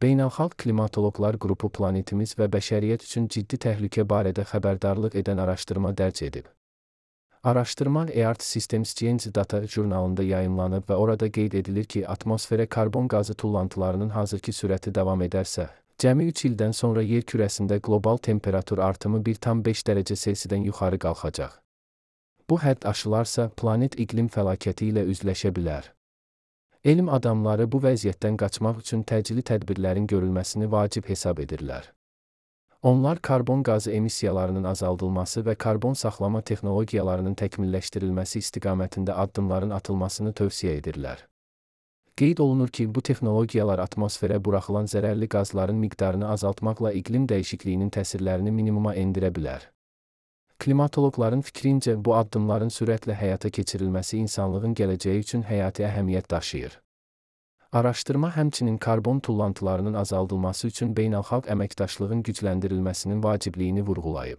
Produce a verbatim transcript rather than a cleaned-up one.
Beynəlxalq Klimatoloqlar qrupu planetimiz və bəşəriyyət üçün ciddi təhlükə barədə xəbərdarlıq edən araşdırma dərc edib. Araşdırma Earth Systems Change Data jurnalında yayımlanıb və orada qeyd edilir ki, atmosferə karbon qazı tullantılarının hazırki sürəti davam edərsə, cəmi üç ildən sonra yer kürəsində qlobal temperatur artımı bir tam beş dərəcə Selsidən yuxarı qalxacaq. Bu hədd aşılarsa, planet iqlim fəlakəti ilə üzləşə bilər. Elm adamları bu vəziyyətdən qaçmaq üçün təcili tədbirlərin görülməsini vacib hesab edirlər. Onlar karbon qazı emissiyalarının azaldılması və karbon saxlama texnologiyalarının təkmilləşdirilməsi istiqamətində addımların atılmasını tövsiyə edirlər. Qeyd olunur ki, bu texnologiyalar atmosferə buraxılan zərərli qazların miqdarını azaltmaqla iqlim dəyişikliyinin təsirlərini minimuma endirə bilər. Klimatoloqların fikrincə, bu addımların sürətlə həyata keçirilməsi insanlığın gələcəyi üçün həyati əhəmiyyət daşıyır. Araşdırma həmçinin karbon tullantılarının azaldılması üçün beynəlxalq əməkdaşlığın gücləndirilməsinin vacibliyini vurğulayıb.